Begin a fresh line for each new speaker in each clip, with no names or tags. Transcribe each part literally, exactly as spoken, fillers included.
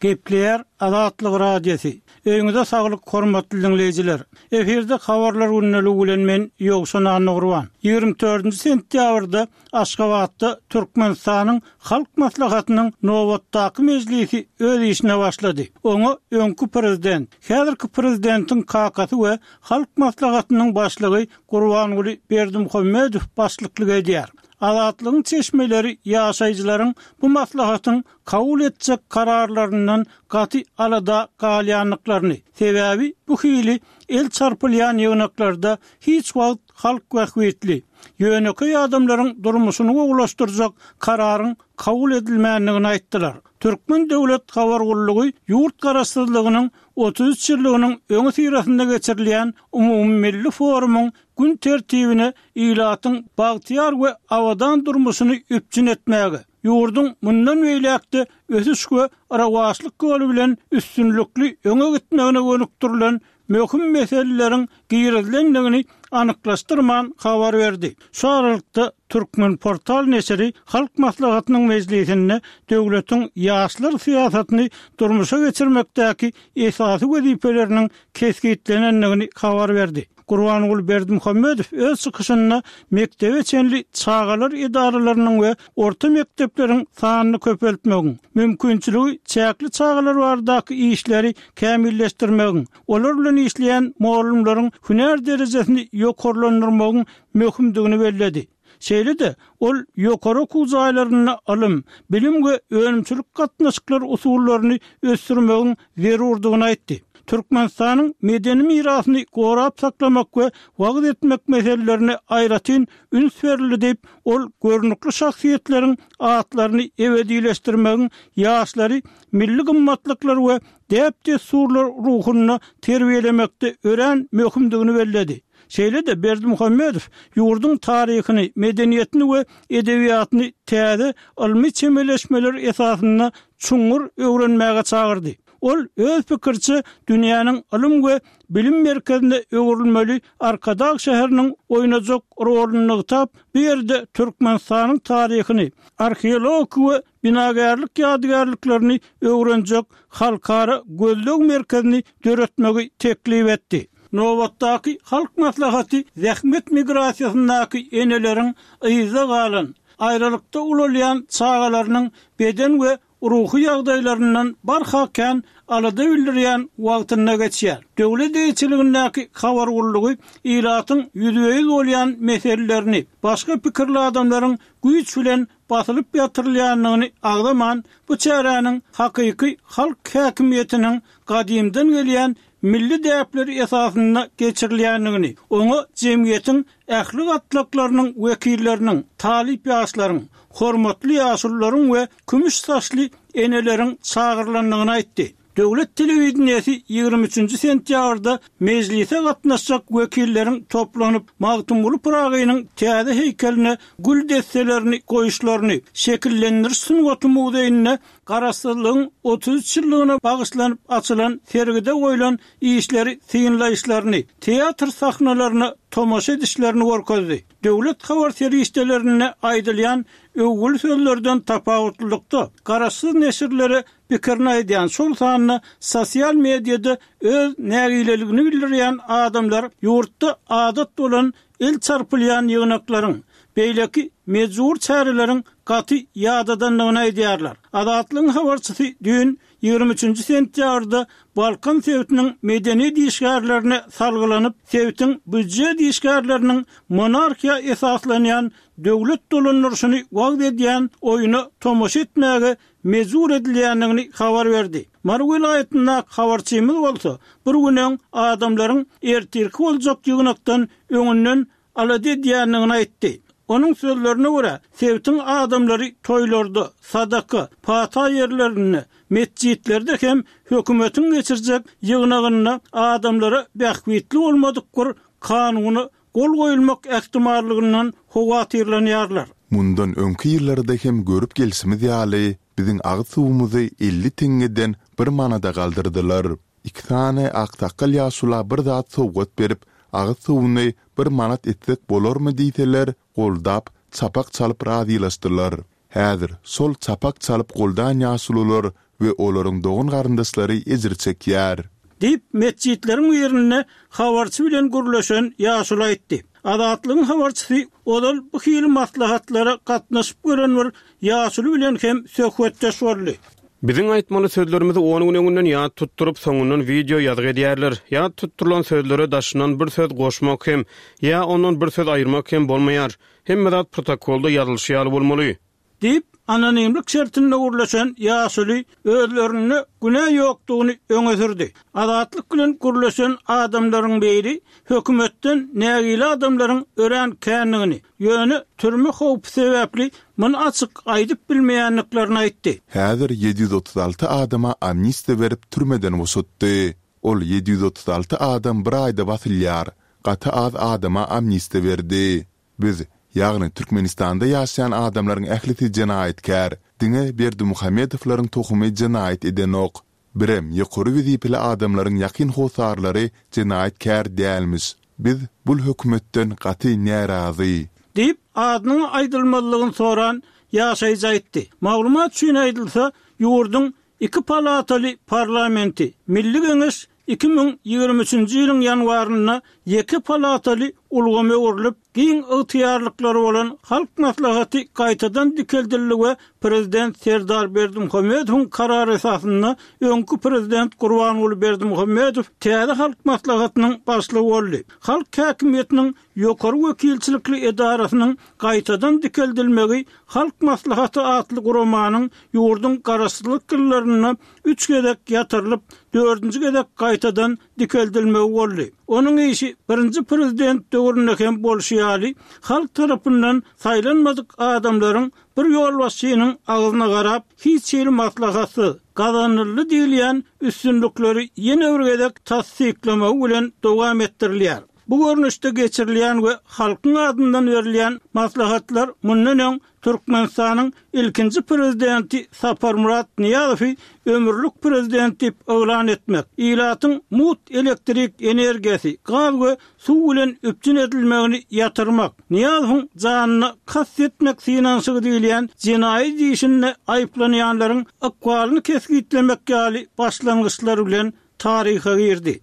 Gepleýär Azatlyk Radiosy. Öýüňize saglyk, hormatly diňleýjiler. Efirde habarlar gündeligi bilen men Ýowşan Annagurban. Ýigrimi dördünji sentýabrda Aşgabatda Türkmenistanyň Halk Maslahatynyň nobatdaky mejlisi öz işine başlady. Oňa öňki prezident, häzirki prezidentiň kakasy we Halk Maslahatynyň başlygy Gurbanguly Berdimuhamedow başlyklyk edýär. Azatlygyň çeşmeleri ýaşaýjylaryň bu maslahatyň kabul etjek kararlaryndan gaty alada galýandyklaryny, sebäbi bu hili el çarpylýan ýygnaklarda hiç wagt halk bähbitli, ýönekeý adamlaryň durmuşyny gowulaşdyrjak kararyň kabul edilmändigini aýtdylar. Türkmen döwlet habar gullugy ýurt garaşsyzlygynyň otuz üç ýyllygynyň öňüsyrasynda geçirilýän umumymilli forumyň gün tertibine ilatyň bagtyýar we abadan durmuşyny üpjün etmäge, ýurduň mundan beýläk-de ösüş we rowaçlyk ýoly bilen üstünlikli öňe gitmegine gönükdirilen möhüm meseleleriň girizilendigini anyklaşdyrman habar berdi. Şu aralykda, Türkmenportal neşiri Halk Maslahatynyň mejlisinde döwletiň ýaşlar syýasatyny durmuşa geçirmekdäki esasy wezipeleriniň kesgitlenendigini habar berdi. Gurbanguly Berdimuhamedow öz çykyşynda mekdebe çenli çagalar edaralarynyň we orta mekdepleriň sanyny köpeltmegiň, mümkinçiligi çäkli çagalar baradaky işleri kämilleşdirmegiň, olar bilen işleýän mugallymlaryň hünär derejesini ýokarlandyrmagyň möhümdigini belledi. Şeýle-de, ol ýokary okuw jaýlarynda ylym, bilim we önümçilik gatnaşyklary usullaryny ösdürmegiň zerurdygyny aýtdy. Türkmenistanyň medeni mirasyny gorap saklamak we wagyz etmek meselelerine aýratyn üns berildi diýip, ol görnükli şahsyýetleriň atlaryny ebedileşdirmegiň ýaşlary milli gymmatlyklar we däp-dessurlar ruhunda terbiýelemekde örän möhümdigini belledi. Şeýle-de Berdimuhamedow ýurduň taryhyny, medeniýetini we edebiýatyny täze ylmy çemeleşmeler esasynda çuňňur öwrenmäge çagyrdy. Ol öz pikiriçe, dünýäniň ylym we bilim merkezine öwrülmeli Arkadag şäheriniň oýnajak roluny nygtap, bu ýerde Türkmenistanyň taryhyny, arheologik we binagärlik ýadygärliklerini öwrenjek halkara gözleg merkezini döretmegi teklip etdi. Nobatdaky Halk Maslahaty zähmet migrasiýasyndaky eneleriň yzda galan, aýralykda ulalýan çagalarynyň beden we ruhy ýagdaýlaryndan barha kän alada bildirýän wagtynda geçýär. Döwlet eýeçiligindäki habar gullugy ilatyň ýüzbe-ýüz bolýan meselelerini başga pikirli adamlaryň güýç bilen basylyp ýatyrylýandygyny agzaman, bu çäräniň hakyky halk häkimiýetiniň gadymdan gelýän milli däpleri esasynda geçirilýändigini, oňa jemgyýetiň ähli gatlaklarynyň wekilleriniň, talyp ýaşlaryň, hormatly ýaşulularyň we kümüş saçly eneleriň çagyrylandygyny aýtdy. Döwlet telewideniýesi ýigrimi üçünji sentýabrda mejlise gatnaşjak wekilleriň toplanyp, Magtymguly Pyragynyň täze heýkeline gül desselerini goýuşlaryny, Şekillendiriş sungaty muzeýinde Garaşsyzlygyň otuz üç ýyllygyna bagyşlanyp açylan sergide goýlan işleri synlaýyşlaryny, teatr sahnalaryna tomaşa edişlerini görkezdi. Döwlet habar serişdelerinde aýdylýan öwgüli sözlerden tapawutlylykda, garaşsyz neşirlere pikirini aýdýan, şol sanda sosial mediada öz nägileligini bildirýän adamlar ýurtda adat bolan el çarpylýan ýygnaklaryň, beýleki mejbur çäreleriň gaty ýadadandygyny aýdýarlar. Azatlygyň habarçysy düýn, ýigrimi üçünji sentýabrda Balkan sebitiniň medeniýet işgärlerine salgylanyp, sebitiň býujet işgärleriniň monarhiýa esaslanýan döwlet dolandyryşyny wagyz edýän oýuna tomaşa etmäge mejbur edilýändigini habar berdi. Mary welaýatyndaky habarçymyz bolsa, bir gün öň adamlaryň ertirki boljak ýygnakdan öňünden alada edýändigini aýtdy. Onuň sözlerine görä, sebitiň adamlary toýlarda, sadaka, pata ýerlerinde, metjitlerde hem hökümetiň geçirjek ýygnagynda adamlara bähbitli bolmadyk bir kanuna gol goýulmak ähtimallygyndan howatyrlanýarlar.
Mundan öňki ýyllarda hem görüp gelşimiz ýaly, biziň agyz suwumyzy elli teňňeden bir manada galdyrdylar. Iki sany aksakgal ýaşula bir zat sowgat berip, agyz suwuny bir manat etsek bolarmy diýseler, goldap, çapak çalyp razylaşdylar. Häzir şol çapak çalyp goldan ýaşulular we olaryň dogan-garyndaşlary ejir çekýär.
Diýip, metjitleriň birinde habarçy bilen gürleşen ýaşuly aýtdy. Azatlygyň habarçysy ozal bu hili maslahatlara gatnaşyp gören bir ýaşuly bilen hem söhbetdeş boldy.
Biziň aýtmaly sözlerimizi on gün öňünden ýat tutduryp, soňundan wideo ýazgy edýärler. Ýat tutdurylan sözlere daşyndan bir söz goşmak hem, ýa ondan bir söz aýyrmak hem bolmaýar. Hemme zat protokolda ýazylyşy ýaly bolmaly.
Diýip, anonimlik şertinde gürleşen ýaşuly özlerinde günä ýokdugyny öňe sürdi. Azatlyk bilen gürleşen adamlaryň biri hökümetden nägile adamlaryň örän kändigini, ýöne türme howpy sebäpli muny açyk aýdyp bilmeýändiklerini aýtdy.
Häzir ýedi ýüz otuz alty adama amnistiýa berip türmeden boşatdy. Ol ýedi ýüz otuz alty adam bir aýda basylýar. Gaty az adama amnistiýa berdi. Biz, ýagny Türkmenistanda ýaşaýan adamlaryň ählisi jenaýatkär. Diňe Berdimuhamedowlaryň tohumy jenaýat edenok. Birem ýokary wezipeli adamlaryň ýakyn hossarlary jenaýatkär dälmiş. Biz bul hökümetden gaty närazy.
Diýip, adynyň aýdylmazlygyny soran ýaşaýjy aýtdy. Maglumat üçin aýdylsa, ýurduň iki palataly parlamenti, Milli Geňeş iki müň ýigrimi üçünji ýylyň ýanwarynda ýeke palataly ulgama öwrülip, giň ygtyýarlyklary bolan Halk Maslahaty gaýtadan dikeldildi we Prezident Serdar Berdimuhamedowyň karary esasynda öňki Prezident Gurbanguly Berdimuhamedow täze Halk Maslahatynyň başlygy boldy. Halk häkimiýetiniň ýokary wekilçilikli edarasynyň gaýtadan dikeldilmegi Halk Maslahaty atly guramanyň ýurduň garaşsyzlyk ýyllarynda üç gezek ýatyrylyp, dördünji gezek gaýtadan dikeldilmegi boldy. Onuň işi birinji prezident döwründe hem bolşy ýaly, halk tarapyndan saýlanmadyk adamlaryň bir ýolbaşçynyň agzyna garap, hiç hili maslahatsyz, gazanyldy diýilýän üstünlikleri ýene bir gezek tassyklamagy bilen dowam etdirilýär. Bu görnüşde geçirilýän we halkyň adyndan berilýän maslahatlar mundan öň Türkmenistanyň ilkinji prezidenti Saparmyrat Nyýazowy ömürlik prezident diýip yglan etmek, ilatyň mut elektrik energiýasy, gaz we suw bilen üpjün edilmegini ýatyrmak, Nyýazowyň janyna kast etmek synanyşygy diýilýän jenaýat işinde aýyplanýanlaryň ykbalyny kesgitlemek ýaly başlangyçlar bilen taryha girdi.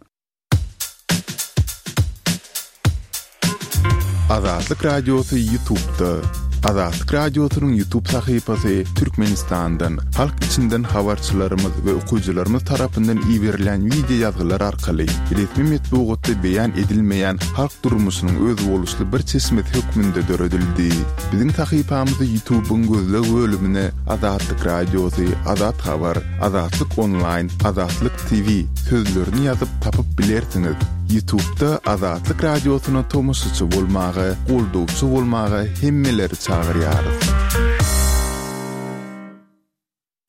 Azatlyk Radiosy YouTube'da. Azatlyk Radiosynyň YouTube sahypasy Türkmenistandan, halk içinden habarçylarymyz we okyjylarymyz tarapyndan iberilen wideo ýazgylar arkaly resmi metbugatda beýan edilmeýän halk durmuşynyň özboluşly bir çeşmesi hökmünde döredildi. Biziň sahypamyzy YouTube'yň gözleg bölümine Azatlyk Radiosy, Azat Habar, Azatlyk Online, Azatlyk T V sözlerini ýazyp tapyp bilersiňiz. YouTube'da Azatlyk Radiosyna tomaşaçy bolmaga, goldawçy bolmaga hemmeleri çagyrýarys.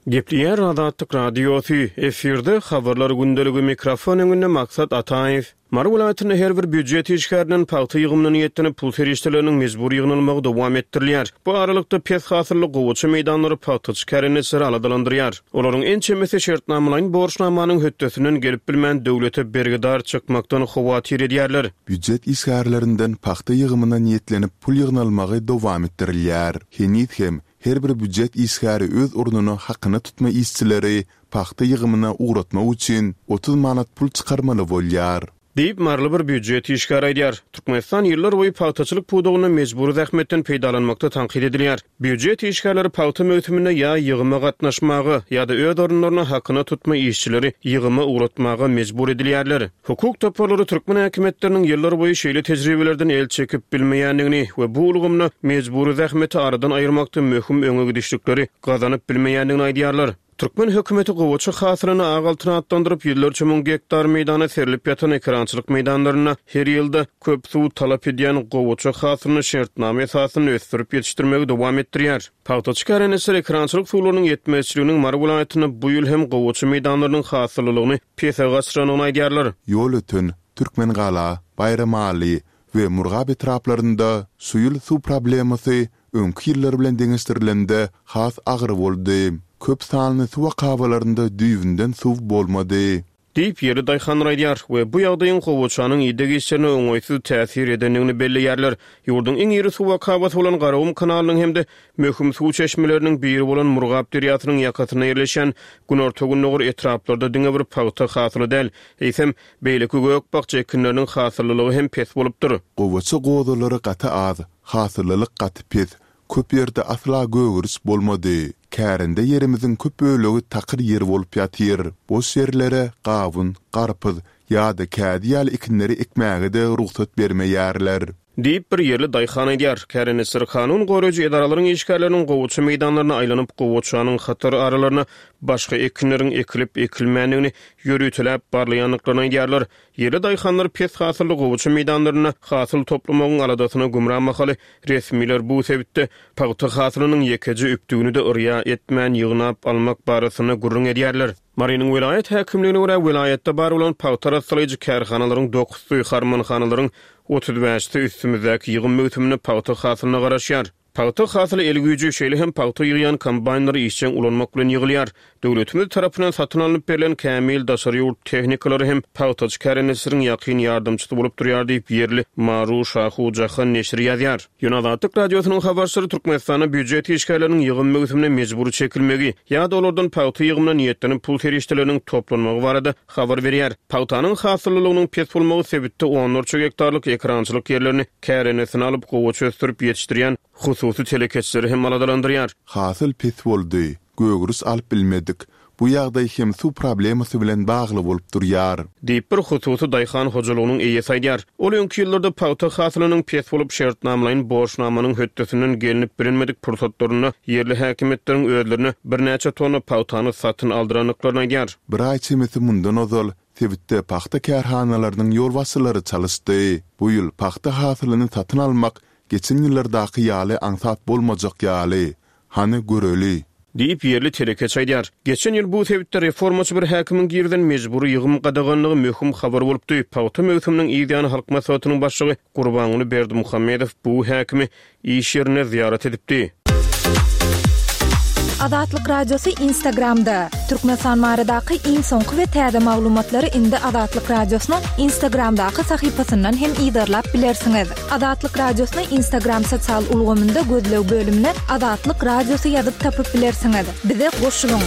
Gepleýär Azatlyk Radiosy, efirde habarlar gündeligi, mikrofon öňünde Maksat Ataýew. Mary welaýatynda her bir býujet işgärinden pagta ýygymyna niýetlenip pul serişdeleriniň mejbur ýygnalmagy dowam etdirilýär. Bu aralykda pes hasylly gowaça meýdanlary pagtaçy kärendeçileri aladalandyrýar. Olaryň ençemesi şertnamalaýyn borçnamanyň hötdesinden gelip bilmän döwlete bergidar çykmakdan howatyr edýärler.
Býujet işgärlerinden pagta ýygymyna niýetlenip pul ýygnalmagy dowam etdirilýär. Heniz hem her bir býujet işgäri öz ornuna hakyna tutma işçileri pagta ýygymyna ugratmak üçin otuz manat pul çykarmaly bolýar.
Diýip, Maryly bir býujet işgäri aýdýar. Türkmenistan ýyllar boýy pagtaçylyk pudagynda mejbury zähmetden peýdalanmakda tankyt edilýär. Býujet işgärleri pagta möwsüminde ýa ýygyma gatnaşmaga ýa-da öz orunlaryna hakyna tutma işçileri ýygyma ugratmaga mejbur edilýärler. Hukuk toparlary türkmen häkimiýetleriniň ýyllar boýy şeýle tejribelerden el çekip bilmeýändigini we bu ulgamda mejbury zähmeti aradan aýyrmakda möhüm öňe gidişlikleri gazanyp bilmeýändigini aýdýarlar. Türkmen hökümeti gowaça hasylyny ak altyn atlandyryp, ýüzlerçe müň gektar meýdana serilip ýatan ekerançylyk meýdanlarynda her ýylda köp suw talap edýän gowaça hasylyny şertnama esasynda ösdürip ýetişdirmegi dowam etdirýär. Pagtaçy kärendeçiler ekerançylyk suwlarynyň ýetmezçiliginiň Mary welaýatynda bu ýyl hem gowaça meýdanlarynyň hasyllylygyny pese gaçyrandygyny aýdýarlar.
Ýol öten Türkmengala, Baýramaly we Murgap etraplarynda şu ýyl suw problemasy öňki ýyllar bilen deňeşdirilende has agyr boldy. Köp sanly suw akabalarynda düýbünden suw bolmady.
Diýip, ýerli daýhanlar aýdýar we bu ýagdaýyň gowaçanyň ideg işlerine oňaýsyz täsir edendigini belleýärler. Ýurduň iň iri suw akabasy bolan Garagum kanalynyň hem-de möhüm suw çeşmeleriniň biri bolan Murgap derýasynyň ýakasynda ýerleşýän günorta-gündogar etraplarda diňe bir pagta hasyly däl, eýsem, beýleki gök-bakja ekinleriniň hasyllylygy hem pes bolupdyr.
Gowaça gozalary gaty az, hasyllylyk gaty pes, köp ýerde asla gögeriş bolmady. Kärende ýerimiziň köp bölegi takyr ýer bolup ýatyr. Boş ýerlere gawun, garpyz ýa-da kädi ýaly ekinleri ekmäge-de rugsat bermeýärler.
Diýip, bir ýerli daýhan aýdýar. Kärendeçiler kanun goraýjy edaralaryň işgärleriniň gowaça meýdanlaryna aýlanyp, gowaçanyň hatar aralaryna başga ekinleriň ekilip-ekilmändigini ýöriteläp barlaýandyklaryny aýdýarlar. Ýerli daýhanlar pes hasylly gowaça meýdanlarynda hasyl toplamagyň aladasyna gümra mahaly, resmiler bu sebitde pagta hasylynyň ýekeje übtügini-de yrýa etmän ýygnap almak barasynda gürrüň edýärler. Marynyň welaýat häkimligine görä, welaýatda bar bolan pagta arassalaýjy kärhanalaryň dokuzysy, harmanhanalaryň otuz bäşisi üstümizdäki ýygym möwsüminde pagta hasylyna garaşýar. Pagta hasyly el güýji, şeýle hem pagta ýygýan kombaýnlary işjeň ulanmak bilen ýygylýar. Döwletimiz tarapyndan satyn alnyp berlen kämil daşary ýurt tehnikalary hem pagtaçy kärendeçileriň ýakyn ýardamçysy bolup durýar diýip, ýerli Maru Şahu Jahan neşiri ýazýar. Ýöne Azatlyk Radiosynyň habarçylary Türkmenistanda býujet işgärleriniň ýygym möwsümine mejbury çekilmegi ýa-da olardan pagta ýygymyna niýetlenip pul serişdeleriniň toplanmagy barada habar berýär. Pagtanyň hasyllylygynyň pes bolmagy sebitde onlarça gektarlyk ekerançylyk ýerlerini kärendesin alyp, gowaça ösdürip ýetişdirýän hususy telekeçileri hem aladalandyrýar.
Hasyl pes boldy, gögeriş alyp bilmedik. Bu ýagdaý hem suw problemasy bilen bagly bolup durýar.
Diýip, bir hususy daýhan hojalygynyň eýesi aýdýar. Ol öňki ýyllarda pagta hasylynyň pes bolup, şertnamalaýyn borçnamanyň hötdesinden gelnip bilinmedik pursatlarynda ýerli häkimiýetleriň özlerine birnäçe tonna pagtany satyn aldyrandyklaryny aýdýar.
Bir aý çemesi mundan ozal sebitde pagta kärhanalarynyň ýolbaşçylary çalyşdy. Bu ýyl pagta hasylyny satyn almak geçen ýyllardaky ýaly aňsat bolmajak ýaly. Hany göreli.
Diýip, ýerli telekeçi aýdýar. Geçen ýyl bu sebitde reformaçy bir häkimiň girizen mejbury ýygym gadaganlygy möhüm habar bolupdy. Pagta möwsüminiň yz ýany Halk Maslahatynyň başlygy Gurbanguly Berdimuhamedow bu häkimi iş ýerinde zyýarat edipdi.
Azatlyk Radiosy Instagramda. Türkmenistan baradaky iň soňky we täze maglumatlary indi Azatlyk Radiosynyň Instagramdaky sahypasyndan hem yzarlap bilersiňiz. Azatlyk Radiosyny Instagram sosial ulgamynda gözleg bölümine Azatlyk Radiosy ýazyp tapyp bilersiňiz. Bize goşulyň.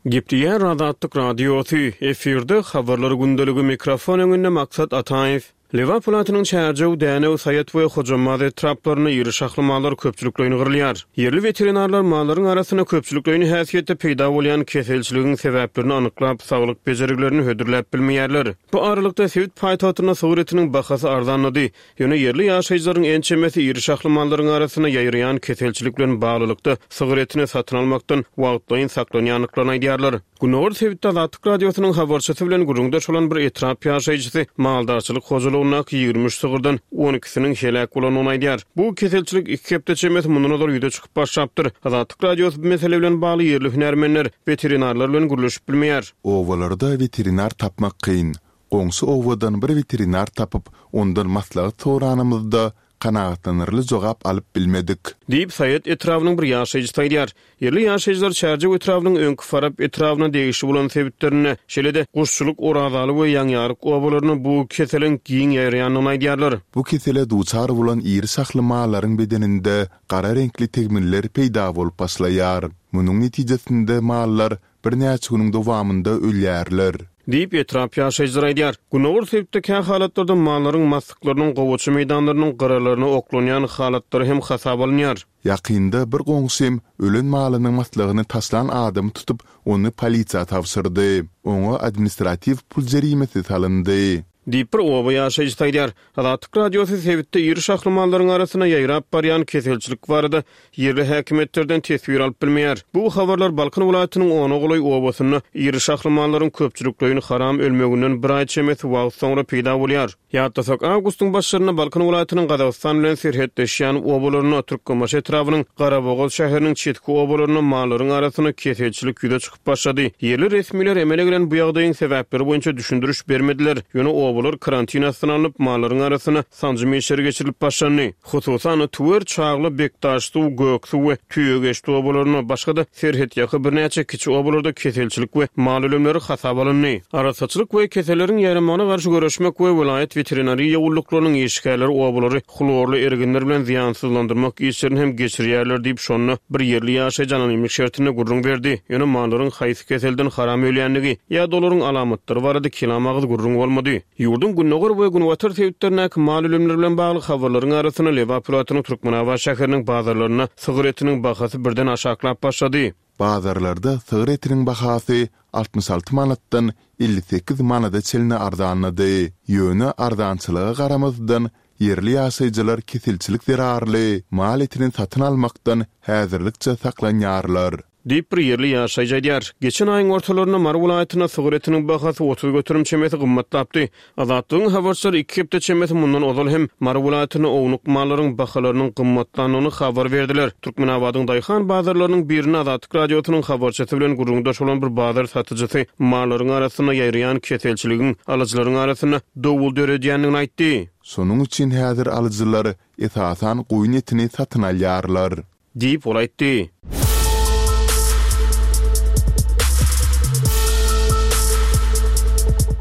Gepleýär Azatlyk Radiosy, efirde habarlar gündeligi, mikrofon öňünde Maksat Ataýew. Lebap welaýatynyň Çärjew, Dänew, Saýat we Hojambaz etraplarynda iri şahly mallar köpçülikleýin gyrylýar. Ýerli weterinarlar mallaryň arasynda köpçülikleýin häsiýetde peýda bolýan keselçiligiň sebäplerini anyklap, saglyk bejergilerini hödürläp bilmeýärler. Bu aralykda sebit paýtagtynda sygyr etiniň bahasy arzanlady. Ýöne ýerli ýaşaýjylaryň ençemesi iri şahly mallaryň arasynda ýaýraýan keselçilik bilen baglylykda sygyr etini satyn almakdan wagtlaýyn saklanýandyklaryny aýdýarlar. Gündogar sebitde Azatlyk Radiosynyň habarçysy bilen gürrüňdeş bolan bir etrap ýaşaýjysy maldarçylyk hojalygyndaky ýigrimi üç sygyrdan on ikisiniň heläk bolandygyny aýdýar. Bu keselçilik iki hepde çemesi mundan ozal ýüze çykyp başlapdyr. Azatlyk Radiosy bu mesele bilen bagly ýerli hünärmenler, weterinarlar bilen gürleşip bilmeýär.
Obalarda weterinar tapmak kyn. Goňşy obadan bir weterinar tapyp, ondan maslahat soranymyzda kanagatlanarly jogap alyp bilmedik.
Diýip, Saýat etrabynyň bir ýaşaýjysy aýdýar. Ýerli ýaşaýjylar Çärjew etrabynyň öňki Farap etrabyna degişli bolan sebitlerinde, şeýle-de Guşçulyk, Orazaly we Ýaňyýaryk obalarynda bu keseliň giň ýaýraýandygyny aýdýarlar.
Bu kesele duçar bolan iri şahly mallaryň bedeninde gara reňkli tegmiller peýda bolup başlaýar. Munuň netijesinde mallar birnäçe günüň dowamynda ölýärler.
Diýip, etrap ýaşaýjylary aýdýar. Gündogar sebitde kä halatlarda mallaryň maslyklarynyň gowaça meýdanlarynyň gyralaryna oklanýan halatlary hem hasaba alynýar.
Ýakynda bir goňşym ölen malynyň maslygyny taşlan adamy tutup, ony polisiýa tabşyrdy. Oňa administratiw pul jerimesi salyndy.
Diýip, bir oba ýaşaýjysy aýdýar. Azatlyk Radiosy sebitde iri şahly mallaryň arasynda ýaýrap barýan keselçilik barada ýerli häkimiýetlerden teswir alyp bilmeýär. Bu habarlar Balkan welaýatynyň ona golaý obasynda iri şahly mallaryň köpçülikleýin haram ölmeginden bir aý çemesi wagt soňra peýda bolýar. Ýatlasak, awgustyň başlarynda Balkan welaýatynyň Gazagystan bilen serhetleşýän obalarynda, Türkmenbaşy etrabynyň Garabogaz şäheriniň çetki obalarynda mallaryň arasynda keselçilik ýüze çykyp başlady. Ýerli resmiler emele gelen bu ýagdaýyň sebäpleri boýunça düşündiriş bermediler. Ýöne obalar karantin astyna alnyp, mallaryň arasynda sanjym işleri geçirilip başlandy. Hususan-da, Tüwer, Çagly, Bekdaşsuw, Göksuw we Tüýegeçdi obalarynda, başga-da serhetýaka birnäçe kiçi obalarda keselçilik we mal ölümleri hasaba alyndy. Arassaçylyk we keselleriň ýaýramagyna garşy göreşmek we welaýat weterinariýa gulluklarynyň işgärleri obalary hlorly erginler bilen zyýansyzlandyrmak işlerini hem geçirýärler diýip, şonda bir ýerli ýaşaýjy anonimlik şertinde gürrüň berdi. Ýöne mallaryň haýsy keselden haram ölýändigi ýa-da olaryň alamatlary barada kelam agyz gürrüň bolmady. Ýurduň gündogar we günbatar sebitlerindäki mal ölümleri bilen bagly habarlaryň arasynda Lebap welaýatynyň Türkmenabat şäheriniň bazarlarynda sygyr etiniň bahasy birden aşaklap başlady.
Bazarlarda sygyr etiniň bahasy altmyş alty manatdan elli sekiz manada çenli arzanlady. Ýöne arzançylyga garamazdan, ýerli ýaşaýjylar keselçilik zerarly mal etini satyn almakdan häzirlikçe saklanýarlar.
Diýip, bir ýerli ýaşaýjy aýdýar. Geçen aýyň ortalarynda Mary welaýatynda sygyr etiniň bahasy otuz göterim çemesi gymmatlapdy. Azatlygyň habarçylary iki hepde çemesi mundan ozal hem Mary welaýatynda ownuk mallaryň bahalarynyň gymmatlandygyny habar berdiler. Türkmenabadyň daýhan bazarlarynyň birinde Azatlyk Radiosynyň habarçysy bilen gürrüňdeş bolan bir bazar satyjysy mallaryň arasynda ýaýraýan keselçiligiň alyjylaryň arasynda dowul döredýändigini aýtdy.
Şonuň üçin häzir alyjylar esasan goýun etini satyn alýarlar.
Diýip, ol aýtdy.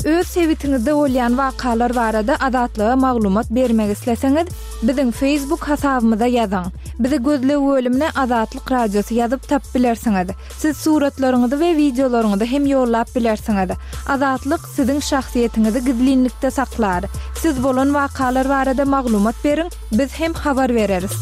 Öz sebitiňizde bolýan wakalar barada Azatlyga maglumat bermek isleseňiz, biziň Facebook hasabymyza ýazyň. Bizi gözleg bölümine Azatlyk Radiosy ýazyp tapyp bilersiňiz. Siz suratlaryňyzy we wideolaryňyzy hem ýollap bilersiňiz. Azatlyk siziň şahsyýetiňizi gizlinlikde saklar. Siz bolan wakalar barada maglumat beriň, biz hem habar bereris.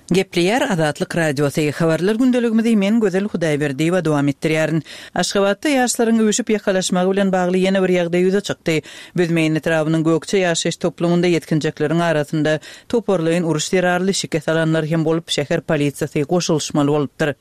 Gepleýär Azatlyk Radiosy. Habarlar gündeligimizi men Gözel Hudaýberdiýewa dowam etdirýärin. Aşgabatda ýaşlaryň üýşüp ýakalaşmagy bilen bagly ýene bir ýagdaý ýüze çykdy. Büzmeýin etrabynyň Gökje ýaşaýyş toplumynda ýetginjekleriň arasynda toparlaýyn uruş zerarly şikes alanlar hem bolup, şäher polisiýasy goşulyşmaly bolupdyr.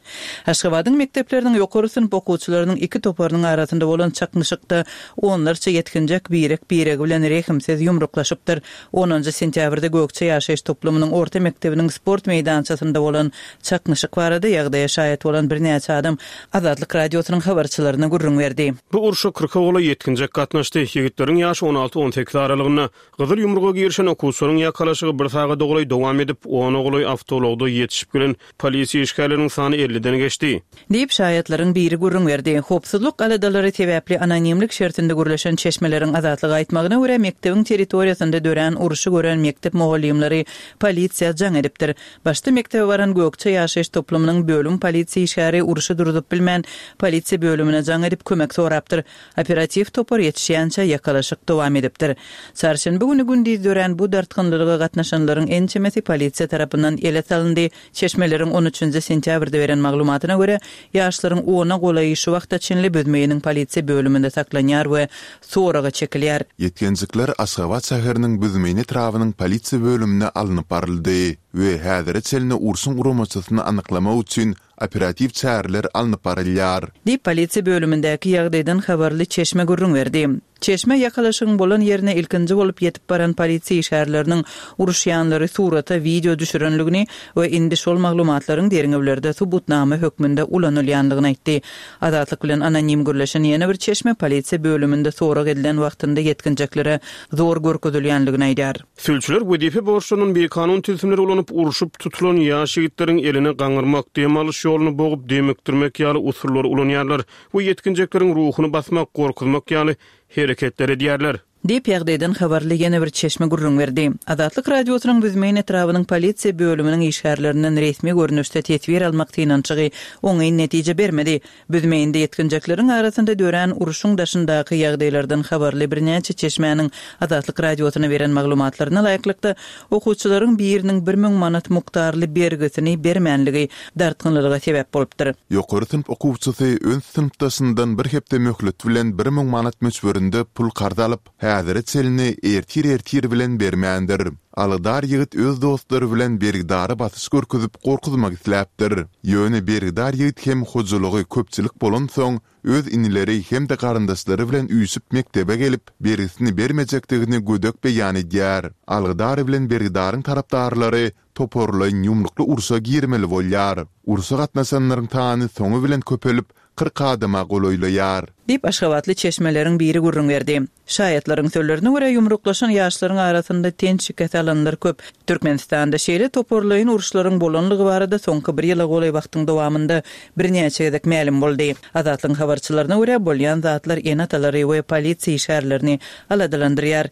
Aşgabadyň mekdepleriniň ýokary synp okuwçylarynyň iki toparynyň arasynda bolan çaknyşykda onlarça ýetginjek birek-biregi bilen rehimsiz ýumruklaşypdyr. Onunjy sentýabrda Gökje ýaşaýyş toplumynyň orta mekdebiniň sport meýdançasynda bolan çaknyşyk barada ýagdaýa şaýat bolan birnäçe adam Azatlyk Radiosynyň habarçylaryna gürrüň berdi.
Bu urşa kyrka golaý ýetginjek gatnaşdy. Ýigitleriň ýaşy on alty-on sekiz aralygynda. Gyzyl ýumruga girişen okuwçylaryň ýakalaşygy bir sagada golaý dowam edip, ona golaý awtoulagda ýetişip gelen polisiýa işgärleriniň sany elliden geçdi.
Diýip, şaýatlaryň biri gürrüň berdi. Howpsuzlyk aladalary sebäpli anonimlik şertinde gürleşen çeşmeleriň Azatlyga aýtmagyna görä, mekdebiň territoriýasynda dörän urşy gören mekdep mugallymlary polisiýa jaň edipdir. Başda mekdebe baran Gökje ýaşaýyş toplumynyň bölüm polisiýa işgäri urşy durzup bilmän, polisiýa bölümine jaň edip kömek sorapdyr. Operatiw topar ýetişýänçä ýakalaşyk dowam edipdir. Çarşenbe güni gündiz dörän bu dartgynlylyga gatnaşanlaryň ençemesi polisiýa tarapyndan ele salyndy. Çeşmeleriň on üçünji sentýabrda beren maglumatyna görä, ýaşlaryň ona golaýy şu wagta çenli Büzmeýiniň polisiýa bölüminde saklanýar we soraga çekilýär.
Ýetginjekler Aşgabat şäheriniň Büzmeýin etrabynyň polisiýa bölümine alnyp baryldy we häzire çenli urşuň guramaçysyny anyklamak üçin operatiw çäreler alnyp barylýar.
Diýip, polisiýa bölümindäki ýagdaýdan habarly çeşme gürrüň berdi. Çeşme ýakalaşygyň bolan ýerine ilkinji bolup ýetip baran polisiýa işgärleriniň uruşýanlary surata, wideo düşürenligini we indi şol maglumatlaryň derňewlerde subutnama hökmünde ulanylýandygyny aýtdy. Azatlyk bilen anonim gürleşen ýene bir çeşme polisiýa bölüminde sorag edilen wagtynda ýetginjeklere zor görkezilýänligini aýdýar.
Sülçüler wezipe borçlaryndan bikanun tilsimleri ulanyp, urşup tutulan ýaş ýigitleriň elini gaňyrmak, dem alyş ýoluny bogup, demikdirmek ýaly usullary ulanýarlar we ýetginjekleriň ruhuny basmak, gorkuzmak ýaly hereketler edýärler.
Diýip, ýagdaýdan habarly ýene bir çeşme gürrüň berdi. Azatlyk Radiosynyň Büzmeýin etrabynyň polisiýa bölüminiň işgärlerinden resmi görnüşde teswir almak synanyşygy oňyn netije bermedi. Büzmeýinde ýetginjekleriň arasynda dörän urşuň daşyndaky ýagdaýlardan habarly birnäçe çeşmäniň Azatlyk Radiosyna beren maglumatlaryna laýyklykda, okuwçylaryň biriniň bir müň manat mukdarly bergisini bermänligi dartgynlylyga sebäp bolupdyr.
Ýokary synp okuwçysy öz synpdaşyndan bir hepde möhlet bilen bir müň manat möçberinde pul karz alyp, häzire çenli ertir-ertir bilen bermändir. Alydar ýigit öz dostlary bilen bergidara basyş görkezip gorkuzmak isläpdir. Ýöne bergidar ýigit hem hojalygy köpçülik bolansoň, öz inileri hem-de garyndaşlary bilen üýşüp mekdebe gelip, bergisini bermejekdigini gödek beýan edýär. Alydar bilen bergidaryň tarapdarlary toparlaýyn ýumrukly urşa girmeli bolýar. Urşa gatnaşanlaryň sany soňy bilen köpelip, kyrk adama golaýlaýar.
Diýip, aşgabatly çeşmeleriň biri gürrüň berdi. Şaýatlaryň sözlerine görä, ýumruklaşan ýaşlaryň arasynda ten şikes alanlar köp. Türkmenistanda şeýle toparlaýyn uruşlaryň bolanlygy barada soňky bir ýyla golaý wagtyň dowamynda birnäçe gezek mälim boldy. Azatlygyň habarçylaryna görä, bolýan zatlar ene-atalary we polisiýa işgärlerini aladalandyrýar.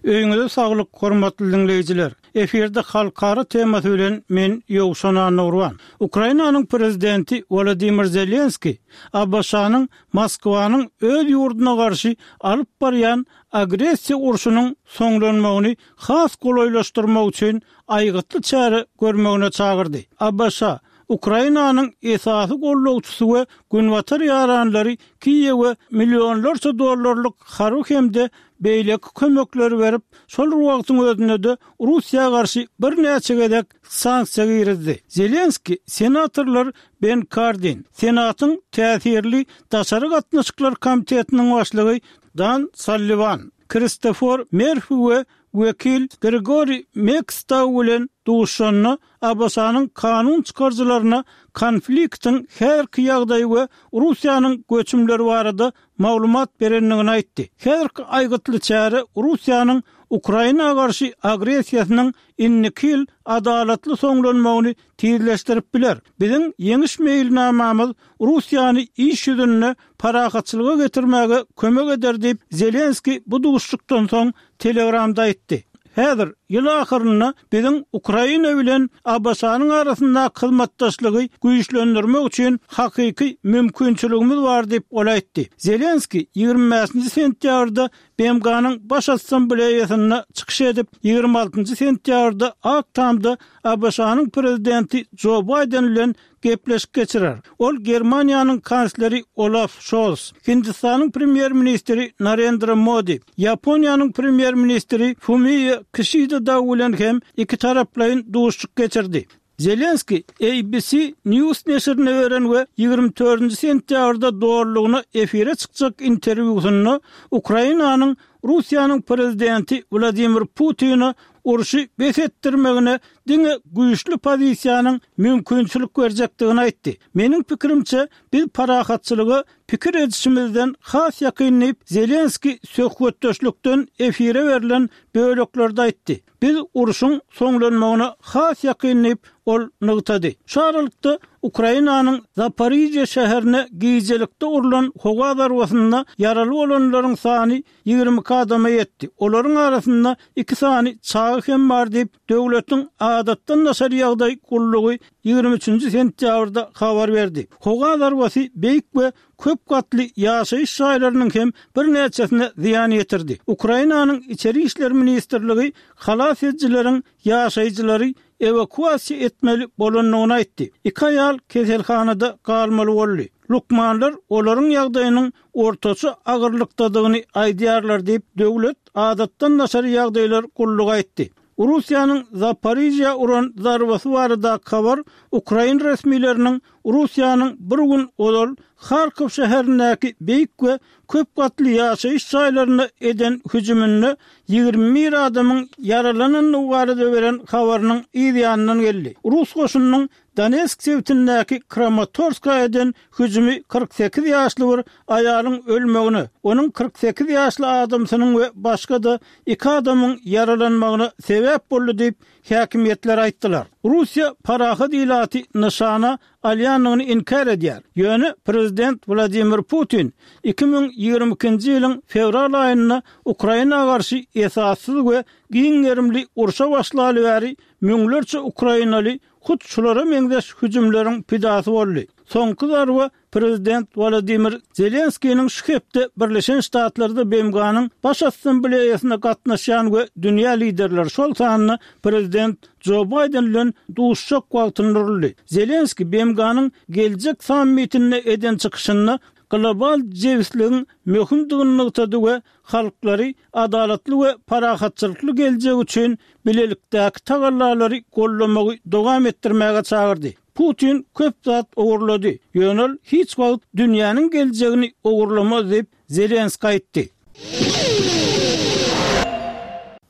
Öýüňize saglyk, hormatly diňleýjiler! Efirde halkara temasy bilen men Ýowşan Annagurban. Ukrainanyň prezidenti Wolodymyr Zelenskiý ABŞ-nyň Moskwanyň öz ýurduna garşy alyp barýan agressiýa urşunyň soňlanmagyny has golaýlaşdyrmak üçin aýgytly çäre görmegine çagyrdy. ABŞ Ukrainanyň esasy gollagçysy we Günbatar ýaranlary Kiýewe millionlarça dollarlyk harby hem-de beýleki kömekleri berip, şol bir wagtyň özünde-de Russiýa garşy birnäçe gezek sanksiýa girizdi. Zelenskiý senatorlar Ben Kardin, Senatyň täsirli daşary gatnaşyklar komitetiniň başlygy Dan Salliwan, Kristofor Merfi we wekil Gregori Meks dagy bilen duşuşanda ABŞ-nyň kanun çykaryjylaryna konfliktiň häzirki ýagdaýy we Russiýanyň göçümleri barada maglumat berendigini aýtdy. Häzirki aýgytly çäre Russiýanyň Ukraina garşy agressiýasynyň indiki ýyl adalatly soňlanmagyny tizleşdirip biler. Biziň ýeňiş meýilnamamyz Russiýany iş ýüzünde parahatçylyga getirmäge kömek eder diýip, Zelenskiý bu duşuşykdan soň Telegramda aýtdy. Häzir, ýyl ahyrynda biziň Ukraina bilen ABŞ-nyň arasyndaky hyzmatdaşlygy güýçlendirmek üçin hakyky mümkinçiligimiz bar diýip, ol aýtdy. Zelenskiý ýigrimi bäşinji sentýabrda BMG-niň Baş Assambleýasynda çykyş edip, ýigrimi altynjy sentýabrda Ak Tamda ABŞ-nyň prezidenti Jo Baýden bilen gepleşik geçirer. Ol Germaniýanyň kansleri Olaf Şols, Hindistanyň premýer-ministri Narendra Modi, Ýaponiýanyň premýer-ministri Fumio Kişida dagy bilen hem ikitaraplaýyn duşuşyk geçirdi. Zelenskiý ABC News neşirine beren we ýigrimi dördünji sentýabrda dolulygyna efire çykjak interwýusynda Ukrainanyň Russiýanyň prezidenti Wladimir Putine urşy bes etdirmegine diňe güýçli pozisiýanyň mümkinçilik berjekdigini aýtdy. Meniň pikirimçe, biz parahatçylyga pikir edişimizden has ýakyn diýip, Zelenskiý söhbetdeşlikden efire berlen böleklerde aýtdy. Biz urşuň soňlanmagyna has ýakyn diýip, ol nygtady. Şu aralykda, Ukrainanyň Zaporižýa şäherine gijelikde urlan howa zarbasynda ýaraly bolanlaryň sany ýigrimi iki adama ýetdi. Olaryň arasynda iki sany çaga hem bar diýip, döwletiň adatdan daşary ýagdaý gullugy ýigrimi üçünji sentýabrda habar berdi. Howa zarbasy beýik we köp gatly ýaşaýyş jaýlarynyň hem birnäçesine zyýan ýetirdi. Ukrainanyň Içeri işler ministrligi halas edijileriň ýaşaýjylary ewakuasiýa etmeli bolandygyny aýtdy. Iki aýal keselhanada galmaly boldy. Lukmanlar olaryň ýagdaýynyň ortaça agyrlykdadygyny aýdýarlar diýip, döwlet adatdan daşary ýagdaýlar gullugy aýtdy. Russiýanyň Zaporižýa uran zarbasy baradaky habar ukrain resmileriniň Russiýanyň bir gün ozal Harkow şäherindäki beýik we köp gatly ýaşaýyş jaýlaryna eden hüjüminde ýigrimi bir adamyň ýaralanandygy barada beren habarynyň yz ýanyndan geldi. Rus goşunynyň Donetsk sebitindäki Kramatorska eden hüjümi kyrk sekiz ýaşly bir aýalyň ölmegine, onuň kyrk sekiz ýaşly adamsynyň we başga-da iki adamyň ýaralanmagyna sebäp boldy diýip, häkimiýetler aýtdylar. Russiýa parahat ilaty nyşana alýandygyny inkär edýär. Ýöne prezident Wladimir Putin iki müň ýigrimi ikinji ýylyň fewral aýynda Ukraina garşy esassyz we giň gerimli urşa başlaly bäri müňlerçe ukrainaly hut şulara meňzeş hüjümleriň pidasy boldy. Soňky zarba prezident Wolodymyr Zelenskiniň şu hepde Birleşen Ştatlarda BMG-niň Baş Assambleýasyna gatnaşýan we dünýä liderleri, şol sanda prezident Jo Baýden bilen duşuşjak wagtynda uruldy. Zelenskiý BMG-niň geljek sammitinde eden çykyşynda global jebisligiň möhümdigini nygtady we halklary adalatly we parahatçylykly geljek üçin bilelikdäki tagallalary goldamagy dowam etdirmäge çagyrdy. Putin köp zat ogurlady, ýöne ol hiç wagt dünýäniň geljegini ogurlamaz diýip, Zelenskiý aýtdy.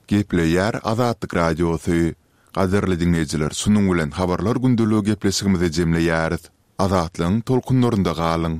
Gepleýär Azatlyk Radiosy. Gadyrly diňleýjiler, şunuň bilen Habarlar gündeligi gepleşigimizi jemleýäris. Azatlygyň tolkunlarynda galyň!